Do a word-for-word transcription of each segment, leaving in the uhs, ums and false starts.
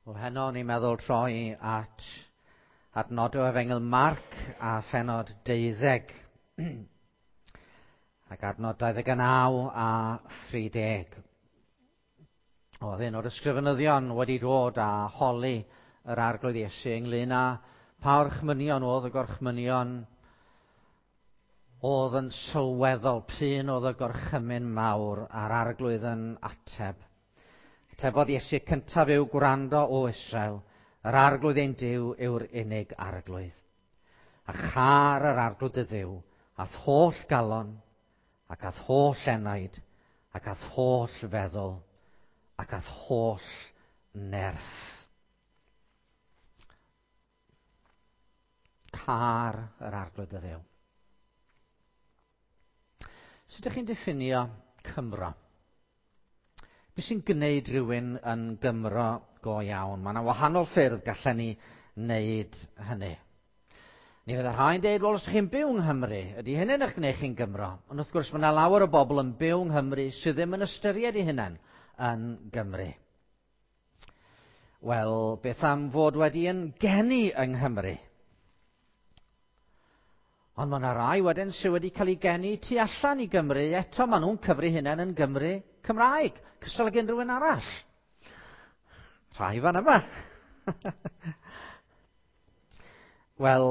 Wel, heno ni'n meddwl troi at adnod o Efengyl Marc a phenod deuddeg. Ac adnod dau ddeg naw a thri deg. Oedd un o'r ysgrifenyddion wedi dod a holi yr Arglwydd Iesu ynglyn â pa orchmynion oedd y gorchmynion oedd yn sylweddol, p'un oedd y gorchymyn mawr, a'r Arglwydd yn ateb. Atebodd Iesu, cyntaf yw gwrando o Israel, yr Arglwydd ein Duw yw'r unig Arglwydd. A char yr Arglwydd y Dduw, a'th holl galon, ac a'th holl enaid, ac a'th holl feddwl, ac a'th holl nerth. Car yr Arglwydd y Dduw. Sut ydych chi'n diffinio Cymro? Be sy'n gwneud rhywun yn Gymro go iawn? Mae yna wahanol ffyrdd gallen ni wneud hynny. Ni fydd y rhai'n dweud, wel, os ydych chi'n byw yng Nghymru, ydy hynny'n eich gwneud chi'n Gymro? Ond wrth gwrs, mae yna lawer o bobl yn byw yng Nghymru sydd ddim yn ystyried eu hunain yn Gymru. Wel, beth am fod wedi yn geni yng Nghymru? Ond mae yna rai wedyn sydd wedi cael eu geni tu allan i Gymru, eto maen nhw'n cyfri hunain yn Gymru Cymraeg, cystal ag unrhyw un arall. Rhai fan yma. Wel,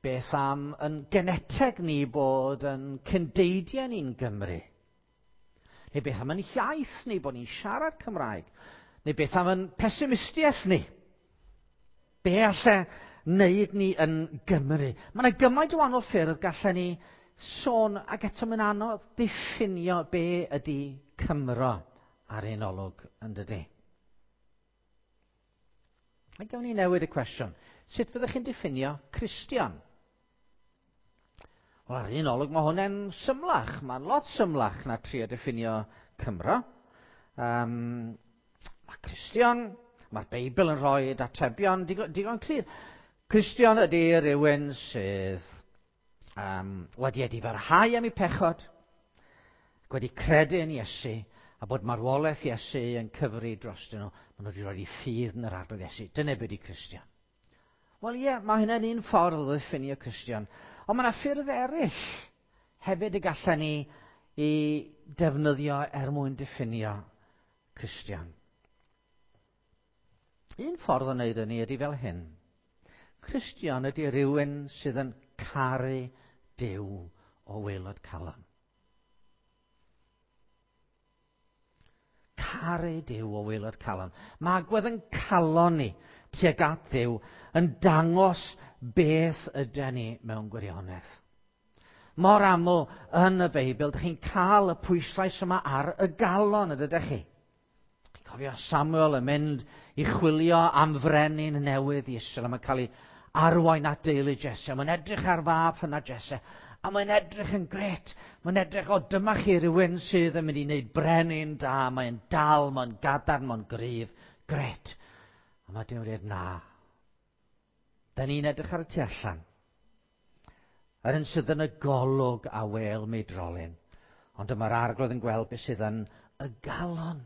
beth am yn geneteg ni bod yn cyndeidiau ni'n Gymru? Neu beth am yn iaith ni bod ni'n siarad Cymraeg? Neu beth am yn pesimistiaeth ni? Be alle wneud ni yn Gymru? Mae yna gymaint o wahanol ffyrdd gallen ni sôn, ac eto mae'n anodd diffinio be ydy Cymro ar un olwg, yn dydy? A gawn ni newid y cwestiwn. Sut fyddwch chi'n diffinio Cristion? Wel, ar un olwg mae hwnna'n symlach. Mae'n lot symlach na trio diffinio Cymro. Um, mae Cristion, mae'r Beibl yn rhoi atebion digon, digon clir. Cristion ydy rhywun sydd um, wedi edifarhau am ei pechod, wedi credu yn Iesu, a bod marwolaeth Iesu yn cyfri drostyn nhw. Maen nhw wedi rhoi eu ffydd yn yr Arglwydd Iesu. Dyna beth ydy Cristion. Wel ie, mae hynny'n un ffordd o ddiffinio Cristion. Ond mae yna ffyrdd eraill hefyd y gallen ni i defnyddio er mwyn diffinio Cristion. Un ffordd o wneud hynny ydy fel hyn. Cristion ydy rhywun sydd yn caru Duw o waelod calon. Caru Duw o waelod calon. Mae agwedd yn calon ni tuag at Dduw yn dangos beth ydy ni mewn gwirionedd. Mor aml yn y Beibl, dych chi'n cael y pwyslais yma ar y galon, ydych chi? Chi'n cofio Samuel yn mynd i chwilio am frenin newydd i Israel, a mae'n cael ei arwain at deulu Jesse. Mae'n edrych ar fab hynna Jesse, a mae'n edrych yn gret. Mae'n edrych, o, dyma chi rhywun sydd yn mynd i wneud brenin da. Mae'n dal, mae'n gadarn, mae'n gryf. Gret. A mae Duw'n dweud, na. Da ni'n edrych ar y tu allan. Yr un sydd yn y golwg a wêl meidrolyn. Ond dyma'r Arglwydd yn gweld beth sydd yn y galon.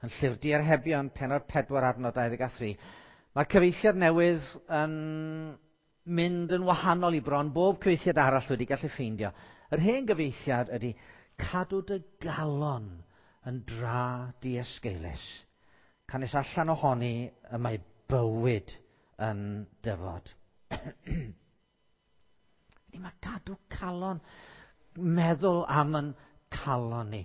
Yn Llyfr Diarhebion, pennod pedwar adnod dau ddeg a thri, mae'r cyfieithiad newydd yn mynd yn wahanol i bron bob cyfieithiad arall wedi gallu ffeindio. Yr hen gyfieithiad ydy cadw dy galon yn dra diesgeulus. Canys allan ohoni y mae bywyd yn dyfod. Ni mae cadw calon, meddwl am yn calon ni,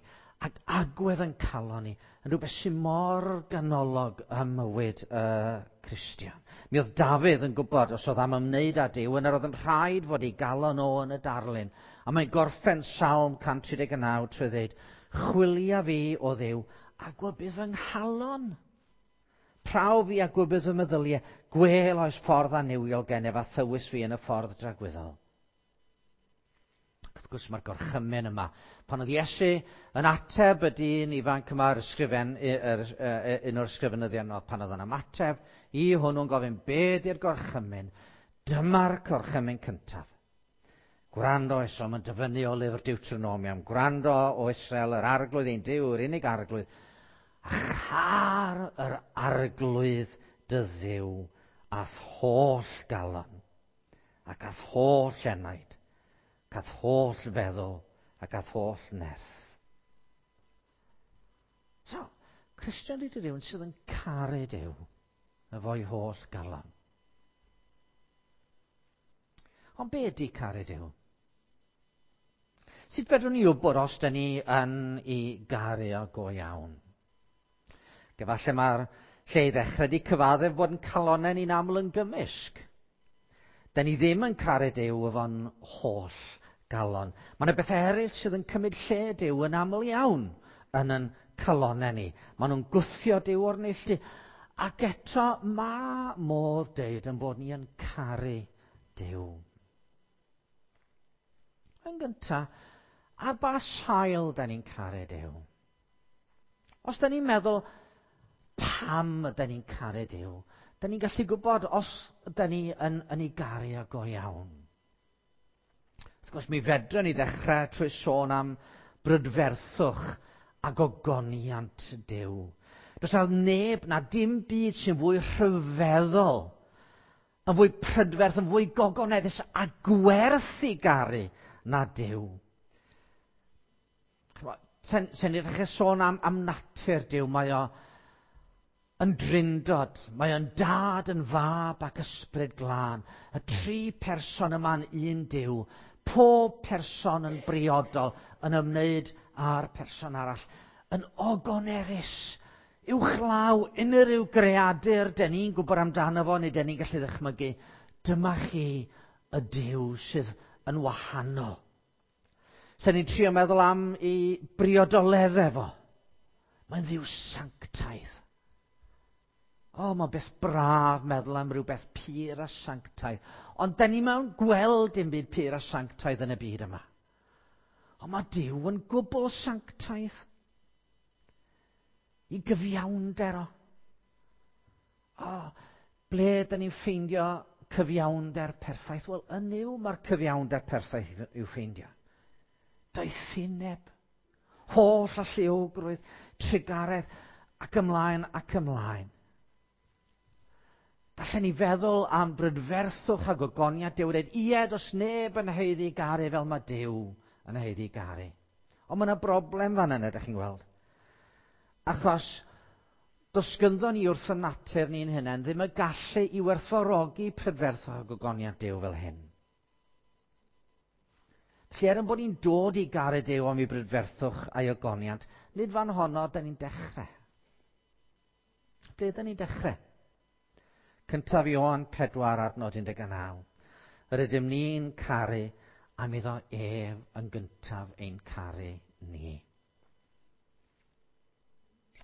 ac agwedd yn calon ni, yn rhywbeth sy'n mor ganolog ym mywyd y uh, Cristion. Mi oedd Dafydd yn gwybod os oedd am ymwneud â Duw, yna oedd yn rhaid fod ei galon o yn y darlun. A mae'n gorffen Salm cant tri deg naw trwy ddweud, chwilia fi o Dduw a gwybydd fy nghalon. Prawf fi a gwybydd fy meddyliau, gwel oes ffordd annuwiol gennyf a thywys fi yn y ffordd dragwyddol. Wrth gwrs mae'r gorchymyn yma. Pan oedd Iesu yn ateb y dyn ifanc yma, yr ysgrifen, yr, un o'r ysgrifenyddion, pan oedd yn ymateb i hwnnw'n gofyn, be di'r gorchymyn? Dyma'r gorchymyn cyntaf. Gwrando Israel, mae'n dyfynnu o lyfr Deuteronomium. Gwrando o Israel, yr Arglwydd ein Duw, yr unig Arglwydd. A char yr arglwydd dy Dduw a'th holl galon, ac a'th holl enaid, ac a'th holl feddwl, ac a'th holl nerth. So, Cristion ydy rhywun sydd yn caru Duw efo'i holl galon. Ond be ydy caru Duw? Sut fedrwn ni wybod os da ni yn ei garu o go iawn? Efallai mae'r lle i ddechrau di cyfaddef bod yn calonnau ni'n aml yn gymysg. Da ni ddim yn caru Duw efo'n holl galon. Mae yna bethau eraill sydd yn cymryd lle Duw yn aml iawn yn yn calonnau ni. Maen nhw'n gwthio Duw o'r neilltu. Ac eto mae modd deud yn bod ni yn caru Duw. Yn gyntaf, ar ba sail da ni'n caru Duw? Os da ni'n meddwl pam da ni'n caru Duw, da ni'n gallu gwybod os da ni yn, yn ei garu o go iawn. Wrth gwrs, mi fedrwn ni ddechrau trwy sôn am brydferthwch a gogoniant Duw. Does na neb na dim byd sy'n fwy rhyfeddol, yn fwy prydferth, yn fwy gogoneddus a gwerth i garu na Duw. Sen, sen ni'n dechrau sôn am, am natur Duw, mae o yn drindod, mae o'n dad, yn fab ac ysbryd glân. Y tri person yma'n un Duw, pob person yn briodol, yn ymwneud â'r person arall, yn ogoneddus, uwchlaw unrhyw greadur den ni'n gwybod amdano fo, neu den ni'n gallu ddychmygu. Dyma chi y Duw sydd yn wahanol. Sen ni'n trio meddwl am ei briodoleddau fo. Mae'n Dduw sanctaidd. O, mae'n beth braf meddwl am rhywbeth pur a sanctaidd. Ond da ni mewn gweld dim byd pur a sanctaidd yn y byd yma. Ond mae Duw yn gwbl sanctaidd. I gyfiawnder o. O, ble da ni'n ffeindio cyfiawnder perffaith? Wel, yn Nuw mae'r cyfiawnder perffaith i'w ffeindio. Doethineb, holl alluogrwydd, trugaredd, ac ymlaen ac ymlaen. Gallen ni feddwl am brydferthwch a gogoniant Duw, dweud, ie, does neb yn haeddu garu fel mae Duw yn haeddu garu. Ond mae yna broblem fan yna, ydych chi'n gweld. Achos does gynddo ni wrth y natur ni'n hunain ddim y gallu i werthfawrogi prydferthwch a gogoniant Duw fel hyn. Felly er yn bod ni'n dod i garu Duw am ei brydferthwch a'i ogoniant, nid fan honno da ni'n dechrau. Ble da ni'n dechrau? Cyntaf Ioan pedwar adnod un deg naw. Yr ydym ni'n caru am iddo ef yn gyntaf ein caru ni.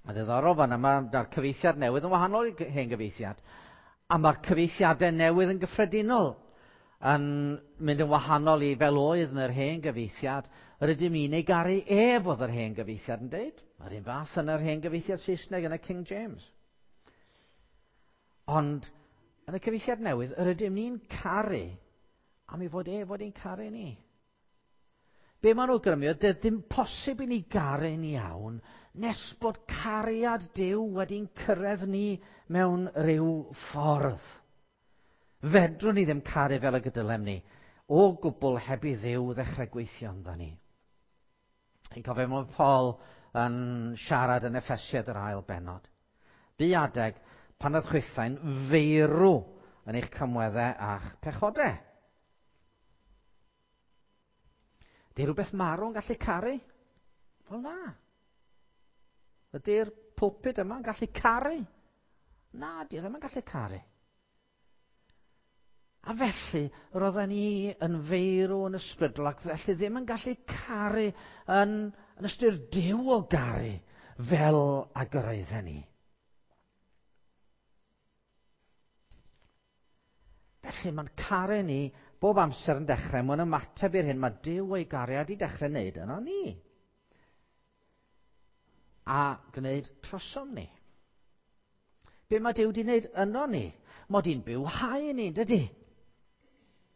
A ddiddorol fan yma, mae'r cyfieithiad newydd yn wahanol i hen gyfieithiad. A mae'r cyfieithiadau newydd yn gyffredinol yn mynd yn wahanol i fel oedd yn yr hen gyfieithiad. Yr ydym ni'n ei garu ef oedd yr hen gyfieithiad yn deud. Mae'r un fath yn yr hen gyfieithiad Saesneg yn y King James. Ond yn y cyfieithiad newydd, yr ydym ni'n caru am ei fod ef fod ein caru ni. Be maen nhw'n awgrymu, oedd ddim posib i ni garu'n iawn nes bod cariad Duw wedi'n cyrraedd ni mewn rhyw ffordd. Fedrwn ni ddim caru fel y gydylem ni, o gwbl heb i Dduw ddechrau gweithio ynddo ni. Chi'n cofio mae Paul yn siarad yn Effesiad yr ail bennod. Bu adeg pan oedd chwithau'n feirw yn eich camweddau a'ch pechodau. Ydy rhywbeth marw yn gallu caru? Wel na. Ydy'r pulpit yma'n gallu caru? Na, di ddim yn gallu caru. A felly, roedden ni yn feirw yn ysbrydol ac felly ddim yn gallu caru yn, yn ystyr Duw o garu fel ag yr oedden ni. Felly mae'n caru ni bob amser yn dechrau, mae'n ymateb i'r hyn mae Duw o'i gariad i dechrau wneud yno ni. A gwneud trosom ni. Be mae Duw wedi wneud yno ni? Mod i'n bywhau ni, dydy?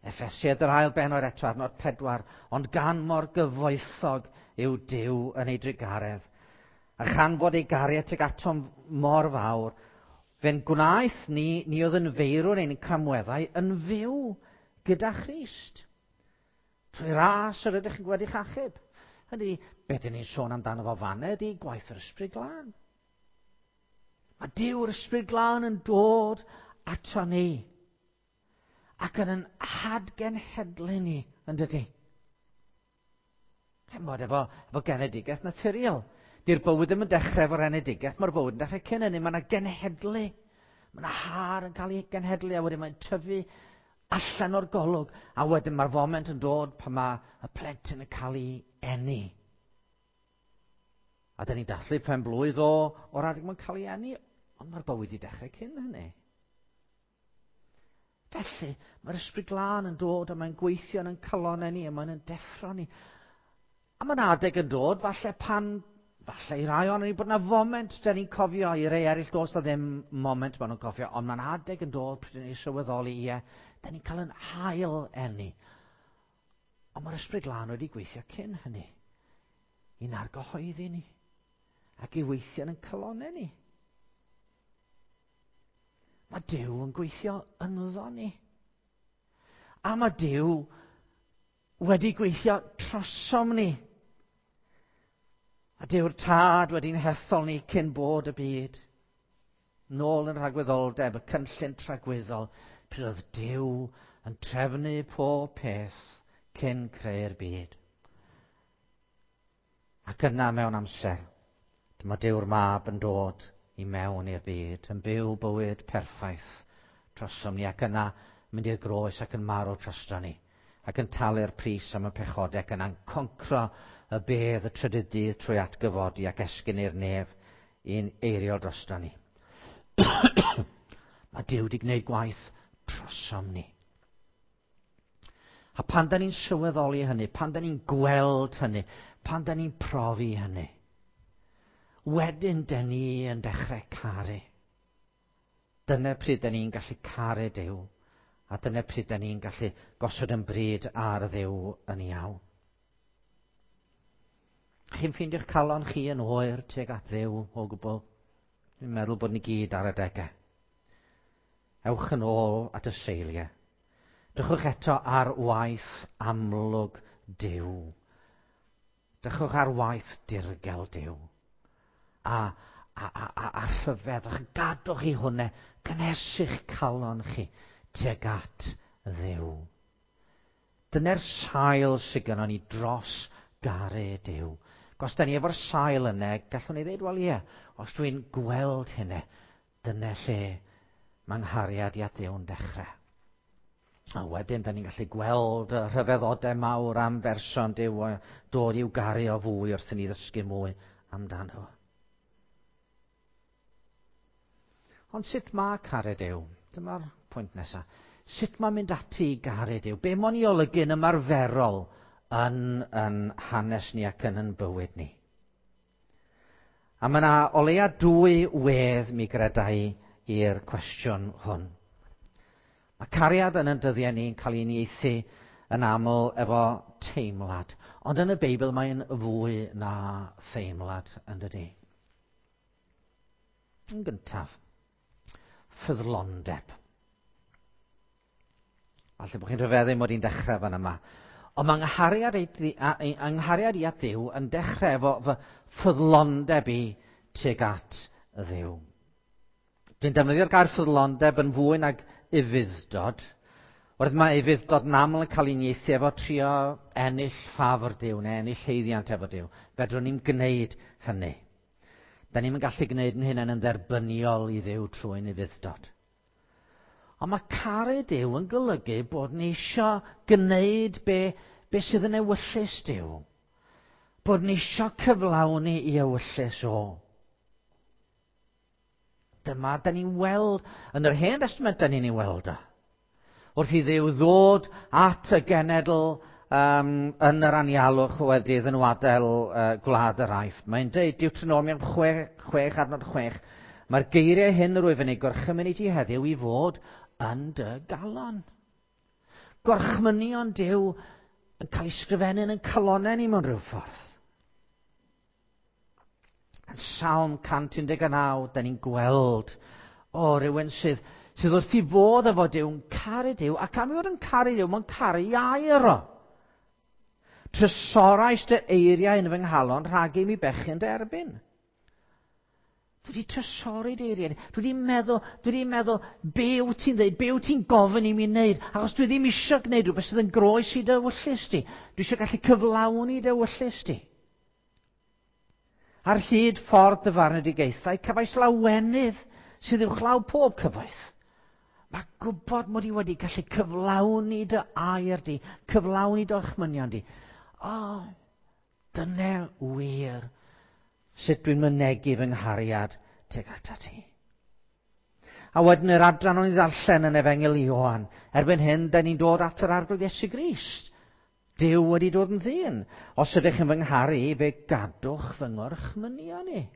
Effesiad yr ail bennod eto, adnod pedwar, ond gan mor gyfoethog yw Duw yn ei drugaredd. A chan fod ei gariad tuag atom mor fawr, fe'n gwnaeth ni, ni oedd yn feirw neu'n camweddau, yn fyw gyda Christ. Trwy ras yr ydych chi'n wedi'ch achub. Hynny, be dyn ni'n sôn amdano fo fanna ydy gwaith yr Ysbryd Glân. Mae Duw'r Ysbryd Glân yn dod ato ni ac yn yn hadgenhedlu ni, yn dydy? Chimod, efo, efo genedigaeth naturiol. Di'r bywyd ddim yn dechrau efo'r enedigaeth, mae'r bywyd yn dechrau cyn hynny. Mae yna genhedlu. Mae yna har yn cael ei genhedlu a wedyn mae'n tyfu allan o'r golwg. A wedyn mae'r foment yn dod pan mae y plentyn yn cael ei eni. A dyn ni'n dathlu pen blwydd o o'r adeg mae'n cael ei eni, ond mae'r bywyd i dechrau cyn hynny. Felly, mae'r Ysbryd Glân yn dod a mae'n gweithio yn ein calonnau ni a mae'n yn deffro ni. A mae'n adeg yn dod, falle pan, falle i rai ohonon ni bod yna foment dyn ni'n cofio, i rei eraill does na ddim moment maen nhw'n cofio, ond mae'n adeg yn dod pryd ni'n sylweddoli, ie, dyn ni'n cael yn hail eni. Ond mae'r Ysbryd Glân wedi gweithio cyn hynny, i'n argyhoeddi ni, ac i weithio yn ein calonnau ni. Mae Duw yn gweithio ynddo ni. A mae Duw wedi gweithio trosom ni. A Duw'r Tad wedi'n hethol ni cyn bod y byd. Nôl yn rhagwyddoldeb, y cynllun tragwyddol, pryd oedd Duw yn trefnu pob peth cyn creu'r byd. Ac yna mewn amser, dyma Duw'r Mab yn dod i mewn i'r byd, yn byw bywyd perffaith trosom ni, ac yna mynd i'r groes ac yn marw drosto ni, ac yn talu'r pris am y pechodau, ac yna'n concro y bedd y trydydd dydd trwy atgyfodi ac esgyn i'r nef i'n eiriol drosto ni. Mae Duw wedi gwneud gwaith trosom ni. A pan da ni'n sylweddoli hynny, pan da ni'n gweld hynny, pan da ni'n profi hynny, wedyn dyn ni yn dechrau caru. Dyna pryd dyn ni'n gallu caru Duw, a dyna pryd dyn ni'n gallu gosod yn bryd ar Dduw yn iawn. Chi'n ffeindio'ch calon chi yn oer tuag at Dduw o gwbl? Dwi'n meddwl bod ni gyd ar adegau. Ewch yn ôl at y seiliau. Drychwch eto ar waith amlwg Duw. Drychwch ar waith dirgel Duw. A, a, a, a, a rhyfedd, gadwch i hwnna, gynhesu'ch calon chi tuag at Dduw. Dyna'r sail sydd gynnon ni dros garu Duw. Os da ni efo'r sail yna, gallwn ni ddweud, wel ie, os dwi'n gweld hynny, dyna lle mae nghariad i at Dduw'n dechrau. A wedyn, da ni'n gallu gweld y rhyfeddodau mawr am berson Duw a dod i'w garu o fwy wrth i ni ddysgu mwy amdano. Ond sut mae caru Duw? Dyma'r pwynt nesaf. Sut mae mynd ati i garu Duw? Be mo'n i olygu'n ymarferol yn, yn hanes ni ac yn yn bywyd ni? A mae yna o leia dwy wedd mi gredai i'r cwestiwn hwn. Mae cariad yn yn dyddiau ni'n cael ei uniaethu yn aml efo teimlad. Ond yn y Beibl mae'n fwy na theimlad, yn dydi? Yn gyntaf, ffyddlondeb. Falle bod chi'n rhyfeddu mod i'n dechrau fan yma. Ond mae nghariad, nghariad i at Dduw yn dechrau efo fy ffyddlondeb i tuag at Dduw. Dwi'n defnyddio'r gair ffyddlondeb yn fwy nag ufudd-dod. Oherwydd mae ufudd-dod yn aml yn cael ei uniaethu efo trio ennill ffafr Duw neu ennill haeddiant efo Duw. Fedrwn ni'm gwneud hynny. Da ni'm yn gallu gwneud yn hunain yn dderbyniol i Dduw trwy'n ufudd-dod. Ond mae caru Duw yn golygu bod ni isio gwneud be, be sydd yn ewyllys Duw. Bod ni isio cyflawni i ewyllys o. Dyma da ni'n weld, yn yr Hen Testament da ni'n ei weld o. Wrth i Dduw ddod at y genedl um, yn yr anialwch wedi iddyn nhw adael uh, gwlad yr Aifft. Mae'n dweud Deuteronomium chwech adnod chwech, mae'r geiriau hyn yr wyf yn eu gorchymyn i ti heddiw i fod yn dy galon. Gorchmynion Duw yn cael ei sgrifennu yn ein calonnau ni mewn rhyw ffordd. Yn Salm cant un deg naw, da ni'n gweld, o, rhywun sydd, sydd wrth i fodd efo Duw, yn caru Duw, ac am ei fod yn caru Duw, mae'n caru i air o. Trysorais dy eiriau yn fy nghalon rhag i mi bechu yn dy erbyn. Dwi wedi trysori dy eiriau. Dwi wedi meddwl, dwi wedi meddwl, be wyt ti'n dweud, be wyt ti'n gofyn i mi wneud, achos dwi ddim eisiau gwneud rhywbeth sydd yn groes i dy ewyllys di. Dwi eisiau gallu cyflawni dy ewyllys di. Ar hyd ffordd dy farnedigaethau, cefais lawenydd sydd uwchlaw pob cyfoeth. Mae gwybod mod i wedi gallu cyflawni dy air di, cyflawni dy orchmynion di. O, oh, dyna wir sut dwi'n mynegi fy nghariad tuag atat ti. A wedyn yr adran o'n i ddarllen yn Efengyl Ioan, erbyn hyn, da ni'n dod at yr Arglwydd Iesu Grist. Duw wedi dod yn ddyn. Os ydych yn fy ngharu, fe gadwch fy ngorchmynion i.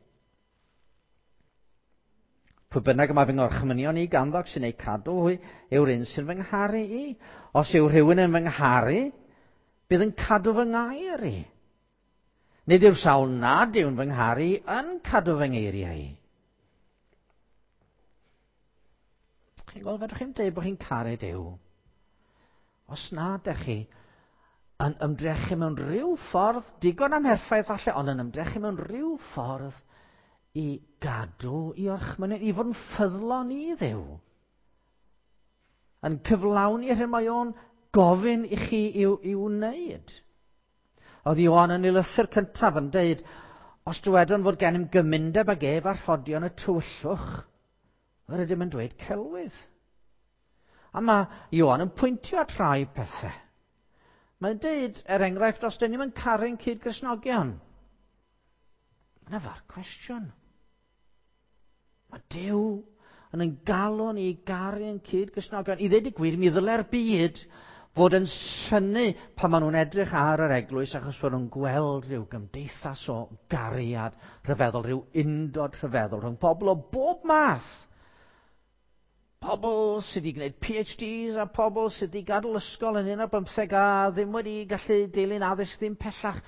Pwy bynnag y mae fy ngorchmynion i ganddo sy'n eu cadw hwy, yw'r un sy'n fy ngharu i. Os yw rhywun yn fy ngharu, bydd yn cadw fy ngair i. Nid yw'r sawl nad yw'n fy ngharu yn cadw fy ngeiriau i. Chi'n gweld, fedrwch chi'n dweud bod chi'n caru Duw. Os na ydych chi yn ymdrechu mewn rhyw ffordd, digon amherffaith falle, ond yn ymdrechu mewn rhyw ffordd i gadw i orchmynion, i fod yn ffyddlon i Dduw. Yn cyflawni yr hyn mae o'n gofyn i chi i'w, i'w wneud. Oedd Ioan yn ei lythyr cyntaf yn deud, os dywedwn fod gennym gymundeb ag ef a rhodion y tywyllwch, yr ydym yn dweud celwydd. A mae Ioan yn pwyntio at rai pethau. Mae'n deud, er enghraifft, os dyn ni'n yn caru'n cyd-Gristnogion. Yna fa'r cwestiwn. Mae Duw yn ein galw ni i garu'n cyd-Gristnogion. I ddweud y gwir, mi ddylai'r byd fod yn synnu pan maen nhw'n edrych ar yr eglwys achos bod nhw'n gweld rhyw gymdeithas o gariad rhyfeddol, rhyw undod rhyfeddol rhwng pobl o bob math. Pobl sydd wedi gwneud P H Ds a pobl sydd wedi gadael ysgol yn un ar bymtheg a ddim wedi gallu dilyn addysg ddim pellach.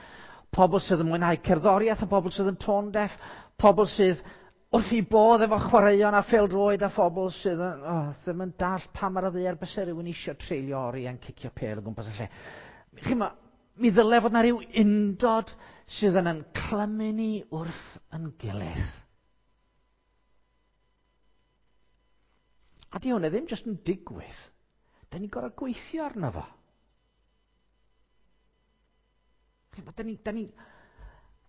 Pobl sydd yn mwynhau cerddoriaeth a pobl sydd yn tone deaf. Pobl sydd wrth i bodd efo chwaraeon a phêl-droed a phobl sydd yn, oh, ddim yn dallt pam ar y ddaear byse rhywun eisiau treulio oriau'n cicio pêl o gwmpas y lle. Chi'mo, mi ddyle fod na rhyw undod sydd yn yn clymu ni wrth yn gilydd. A di hwnna ddim jyst yn digwydd. Da ni'n gorfod gweithio arno fo. Da ni'n da ni,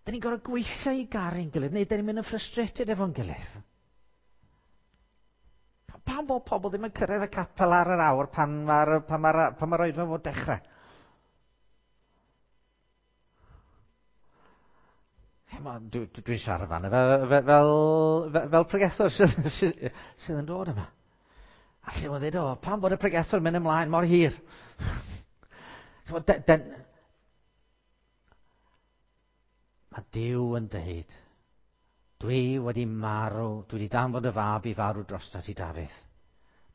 da ni gorfod gweithio i garu'n gilydd, neu da ni'n mynd yn frustrated efo'n gilydd. Pam bod pobl ddim yn cyrraedd y capel ar yr awr pan mae'r pan mae'r, pan mae'r oedfa fod dechrau? Dwi'n dwi, dwi siarad fan fel, fel, fel, fel pregethwr sydd, sydd, sydd yn dod yma. A lle mae'n dweud, o, pam bod y pregethwr yn mynd ymlaen mor hir? Den, den, mae Duw yn dweud, dwi wedi marw, dwi wedi danfon dy fab i farw drosta ti, Dafydd.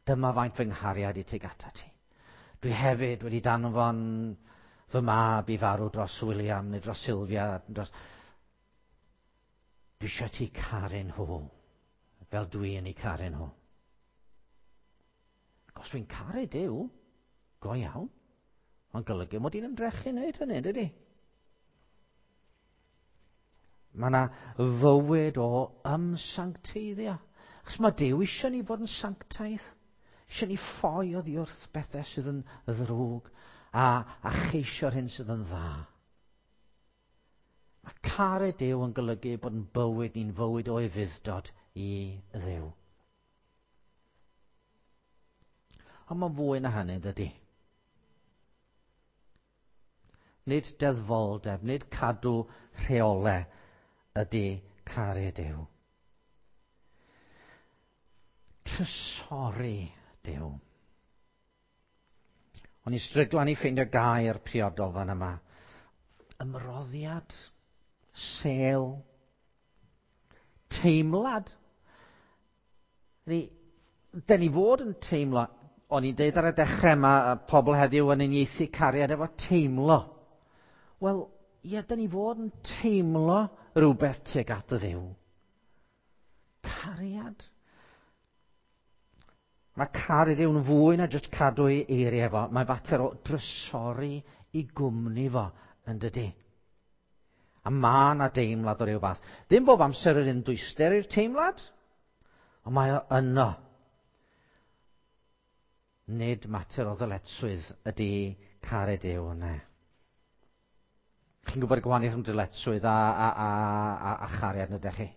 Dyma faint fy nghariad i tuag atat ti. Dwi hefyd wedi danfon fy mab i farw dros William neu dros Sylvia. Dros... Dwi eisiau ti caru nhw, fel dwi yn eu caru nhw. Os dwi'n caru Duw, go iawn, mae'n golygu mod i'n ymdrechu wneud hynny, dydy? Mae yna fywyd o ymsancteiddio. Achos mae Duw eisiau ni fod yn sanctaidd. Eisiau ni ffoi oddi wrth bethau sydd yn ddrwg a, a cheisio'r hyn sydd yn dda. Mae caru Duw yn golygu bod yn bywyd ni'n fywyd o ufudd-dod i Dduw. Ond mae'n fwy na hynny, dydy. Nid deddfoldeb, nid cadw rheolau ydy caru Duw. Trysori Duw. O'n i'n stryglan i ffeindio gair priodol fan yma. Ymroddiad, sêl, teimlad. Ni, den ni fod yn teimlo. O'n i'n deud ar y dechrau yma, pobl heddiw yn uniaethu cariad efo teimlo. Wel, ie, da ni fod yn teimlo rhywbeth tuag at y Dduw. Cariad. Mae caru Duw'n fwy na jyst cadw ei eiriau fo. Mae'n fater o drysori i gwmni fo, yn dydy. A mae yna deimlad o ryw fath. Ddim bob amser yr un dwyster i'r teimlad, ond mae o yno. Nid mater o ddyletswydd ydy caru Duw yna. Chi'n gwybod y gwahaniaeth rhwng dyletswydd a, a, a, a, a chariad, ydych chi?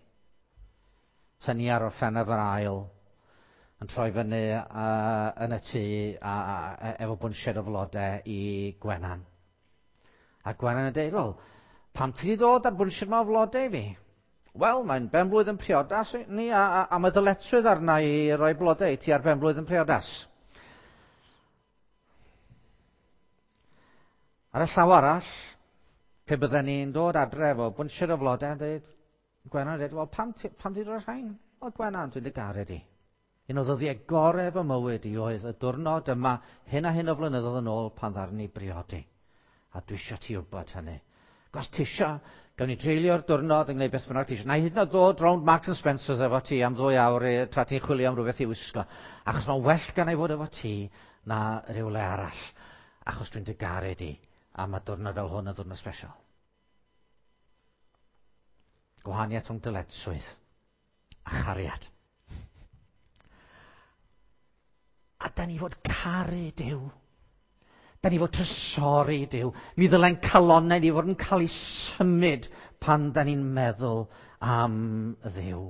Sa ni ar Orffennaf yr ail yn troi fyny uh, yn y tŷ a, a, a, efo bwnsied o flodau i Gwenan. A Gwenan yn dweud, "Wel, pam ti wedi dod ar bwnsied yma o flodau i fi?" "Wel, mae'n benblwydd yn priodas ni, a, a, a mae ddyletswydd arna i roi blodau i ti ar benblwydd yn priodas." Ar y llaw arall, pe bydden ni'n dod adre efo bwnsied o flodau yn dweud, Gwenan yn dweud, "Wel, pam ti, pam ti dod rhain?" "Wel, Gwenan, dwi'n dy garu di. Un o ddyddiau gorau fy mywyd i oedd y diwrnod yma, hyn a hyn o flynyddoedd yn ôl pan ddaru ni briodi. A dwi eisiau ti wybod hynny. Os ti eisiau, gawn ni dreulio'r diwrnod yn gwneud beth bynnag ti eisiau. Na i hyd yn oed ddod rownd Marks and Spencer's efo ti am ddwy awr tra ti'n chwilio am rhywbeth i wisgo. Achos mae'n well gan i fod efo ti na rhywle arall. Achos dwi'n dy garu di. A mae diwrnod fel hwn yn ddiwrnod special." Gwahaniaeth rhwng dyletswydd a chariad. A da ni fod caru Duw. Da ni fod trysori Duw. Mi ddyle'n calonnau ni fod yn cael ei symud pan da ni'n meddwl am Dduw.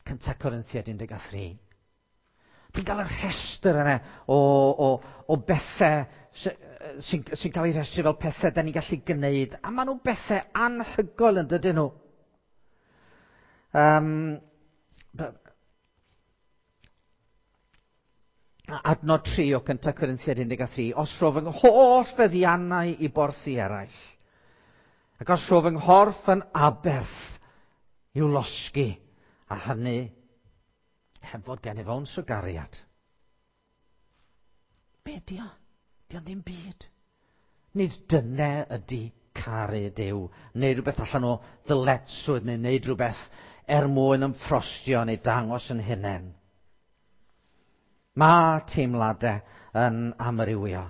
Cynta Corinthiaid un deg tri. Ti'n cael y rhestr yna o, o, o bethau sy'n sy cael ei rhestru fel pethau da ni'n gallu gwneud. A maen nhw'n bethau anhygoel yn dydyn nhw. Um, adnod tri o Cynta Corinthiaid un deg tri. "Os rho fy holl feddiannau i borthi eraill, ac os rho fy nghorff yn aberth i'w losgi, a hynny heb fod gennyf owns o gariad." Be di o? Di o'n ddim byd. Nid dyna ydy caru Duw, neu rhywbeth allan o ddyletswydd, neu wneud rhywbeth er mwyn ymffrostio neu dangos yn hunain. Mae teimladau yn amrywio,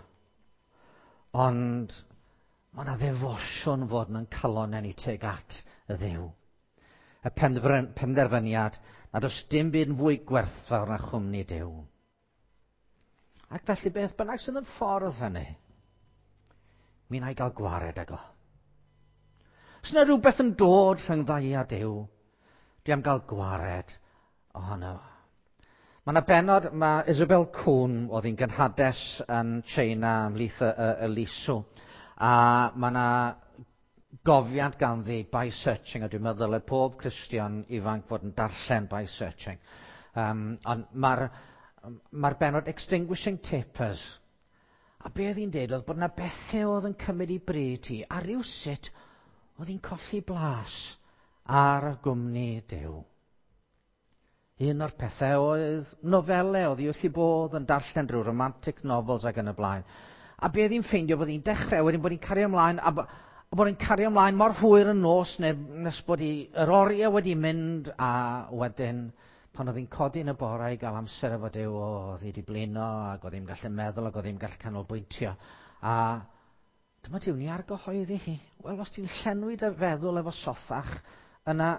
ond mae yna ddefosiwn fod yn calonnau ni tuag at y Dduw. Y penderfyniad nad oes dim byd yn fwy gwerthfawr na chwmni Duw. Ac felly beth bynnag sydd yn ffordd hynny, mi wna i gael gwared ag o. Os yna rhywbeth yn dod rhwng ddau a Duw, dwi am gael gwared ohono. Mae yna bennod, mae Isabel Kuhn, oedd hi'n gynhades yn China ymhlith y, y, y Lisw, a mae yna gofiant ganddi By Searching, a dwi'n meddwl dylai pob Cristion ifanc fod yn darllen By Searching. Um, ond mae'r mae'r bennod Extinguishing Tapers. A be oedd hi'n deud oedd bod yna bethau oedd yn cymryd i bryd hi, a rywsut oedd hi'n colli blas ar gwmni Duw. Un o'r pethau oedd nofelau, oedd hi wrth ei bodd yn darllen drwy romantic novels ac yn y blaen. A be oedd hi'n ffeindio bod hi'n dechrau, wedyn bod hi'n cario ymlaen, a, a bod hi'n cario ymlaen mor hwyr yn nos, neu nes bod hi, yr oriau wedi mynd, a wedyn pan oedd hi'n codi yn y bore i gael amser efo Duw, oedd hi wedi blino, ac oedd hi'n gallu meddwl, ac oedd hi'n gallu canolbwyntio. A dyma Duw'n ei argyhoeddi hi. Wel, os ti'n llenwi dy feddwl efo sothach, yna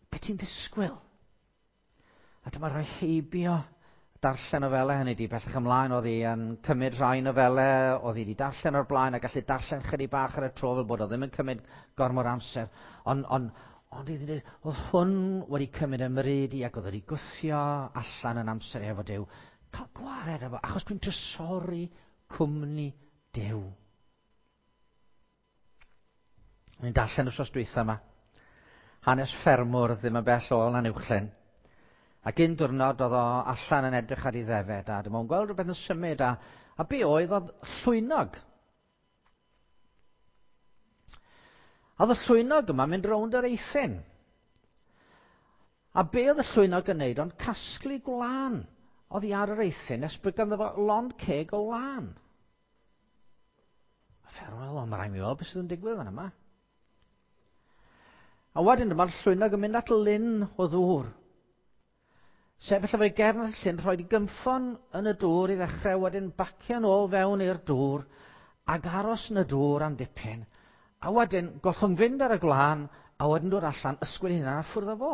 be ti'n disgwyl? A dyma rhoi heibio darllen nofelau hynny di. Bellach ymlaen oedd hi yn cymryd rhai nofelau, oedd hi wedi darllen o'r blaen a gallu darllen chydig bach ar y tro fel bod o ddim yn cymryd gormod amser. Ond on, ond iddi dweud, oedd hwn wedi cymryd ymryd i ac oedd wedi gwthio allan yn amser efo Duw. Cael gwared efo, achos dwi'n trysori cwmni Duw. Ni'n darllen wrth dwytha yma. Hanes ffermwr ddim yn bell o Lanuwchllyn. Ac un diwrnod oedd o allan yn edrych ar ei ddefed, a dyma o'n gweld rhywbeth yn symud, a, a be oedd oedd llwynog. A oedd y llwynog yma mynd rownd yr eithin. A be oedd y llwynog yn neud ond casglu gwlân oedd hi ar yr eithin nes bod ganddo fo lond ceg o wlân. Wel, mae rhaid mi weld beth sydd yn digwydd fan yma. A wedyn dyma'r llwynog yn mynd at lyn o ddŵr. Sefyll efo'i gefn at y llyn, rhoi gynffon yn y dŵr i ddechrau, wedyn bacio'n ôl fewn i'r dŵr, ac aros yn y dŵr am dipyn. A wedyn gollwng fynd ar y gwlân, a wedyn dod allan, ysgwyd hynna a ffwrdd â fo.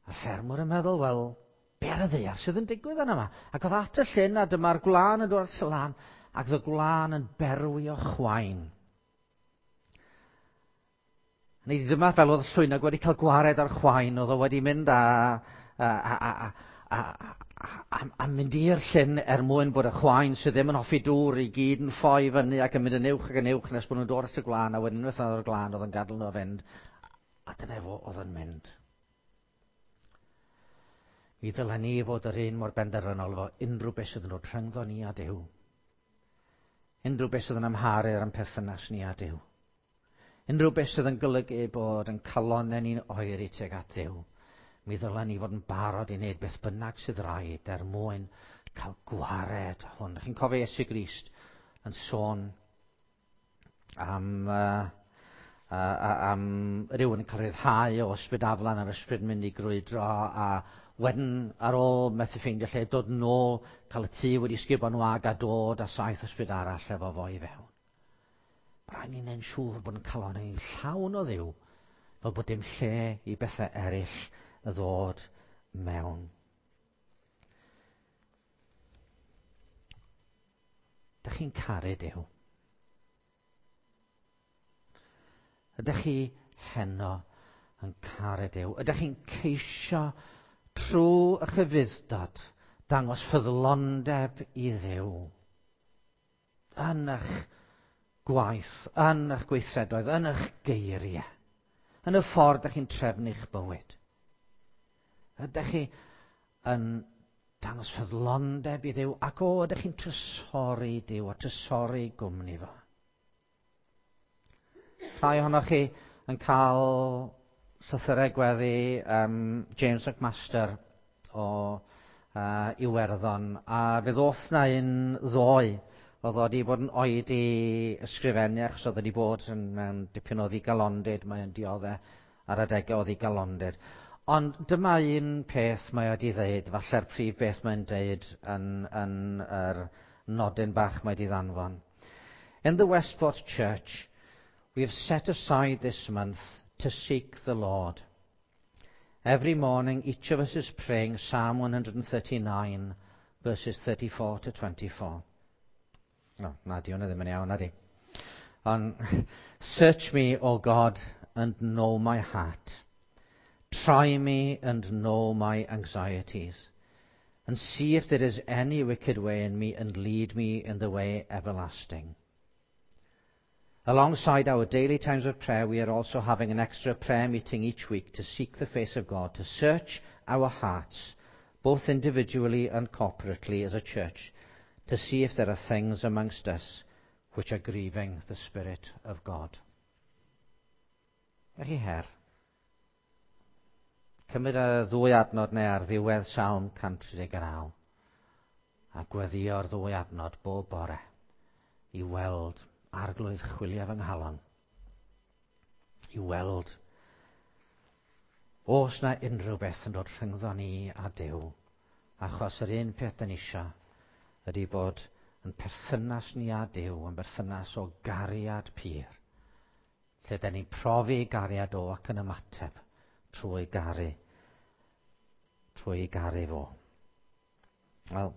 A ffermwr yn meddwl, wel, be ar y ddaear sydd yn digwydd yna yma? Ac oedd at y llyn, a dyma'r gwlân yn dod at y lan, ac oedd y gwlân yn berwi o chwain. Neu dyma fel oedd llwynog wedi cael gwared ar chwain, oedd o wedi mynd a, a, a, a, a, a, a mynd i'r llyn er mwyn bod y chwain sydd ddim yn hoffi dŵr i gyd yn ffoi fyny ac yn mynd yn uwch ac yn uwch nes bod nhw'n dod at y gwlân, a wedyn unwaith oedd o'r glân oedd yn gadael nhw fynd, a dyna fo oedd yn mynd. Mi ddylen ni fod yr un mor benderfynol efo unrhyw beth sydd yn dod rhyngddo ni a Duw. Unrhyw beth sydd yn amharu ar ein perthynas ni a Duw. Unrhyw beth sydd yn golygu bod yn calonnau ni'n oeri tuag at Dduw. Mi ddylen ni fod yn barod i wneud beth bynnag sydd rhaid er mwyn cael gwared hwn. Chi'n cofio Iesu Grist yn sôn am, uh, uh, am rhywun yn cael rhyddhau o ysbryd aflan a'r ysbryd yn mynd i grwydro, a wedyn ar ôl methu ffeindio lle dod nôl, cael y tŷ wedi sgubo'n wag a dod a saith ysbryd arall efo fo i fewn. Mae rhaid ni'n neud siŵr bod yn calon ni'n llawn o Dduw, fel bod dim lle i bethau eraill ddod mewn. Dych chi'n caru Duw? Ydych chi heno yn caru Duw? Ydych chi'n ceisio trwy eich ufudd-dod dangos ffyddlondeb i Dduw yn eich gwaith, yn eich gweithredoedd, yn eich geiriau, yn y ffordd ydych chi'n trefnu'ch bywyd? Ydych chi yn dangos ffyddlondeb i Dduw, ac o, ydych chi'n trysori Duw a trysori gwmni fo? Rhai ohonoch chi yn cael llythyrau gweddi um, James McMaster o uh, Iwerddon, a fe ddoth na un ddoe. Oedd o wedi bod yn oedi ysgrifennu achos oedd wedi bod yn mewn dipyn o ddigalondid, mae'n dioddef ar adegau o ddigalondid. Ond dyma un peth mae wedi ddeud, falle'r prif beth mae'n deud yn, yn yr nodyn bach mae wedi ddanfon. In the Westport Church, we have set aside this month to seek the Lord. Every morning, each of us is praying Psalm one hundred thirty-nine, verses thirty-four to twenty-four. No, na di, hwnna ddim yn iawn, na di. Ond, search me, O God, and know my heart. Try me and know my anxieties, and see if there is any wicked way in me, and lead me in the way everlasting. Alongside our daily times of prayer, we are also having an extra prayer meeting each week to seek the face of God, to search our hearts, both individually and corporately as a church, to see if there are things amongst us which are grieving the Spirit of God. Felly her. Cymryd y ddwy adnod neu ar ddiwedd Salm cant tri deg naw a gweddïo'r ddwy adnod bob bore i weld Arglwydd chwilio fy nghalon, i weld oes na unrhyw beth yn dod rhyngddo ni a Duw, achos yr un peth dan ni isio ydy bod yn perthynas ni a Duw yn berthynas o gariad pur, lle dan ni'n profi gariad o ac yn ymateb trwy garu, trwy garu fo. Wel,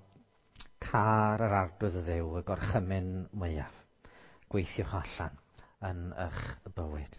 car yr Arglwydd y Dduw, y gorchymyn mwyaf. Gweithiwch allan yn eich bywyd.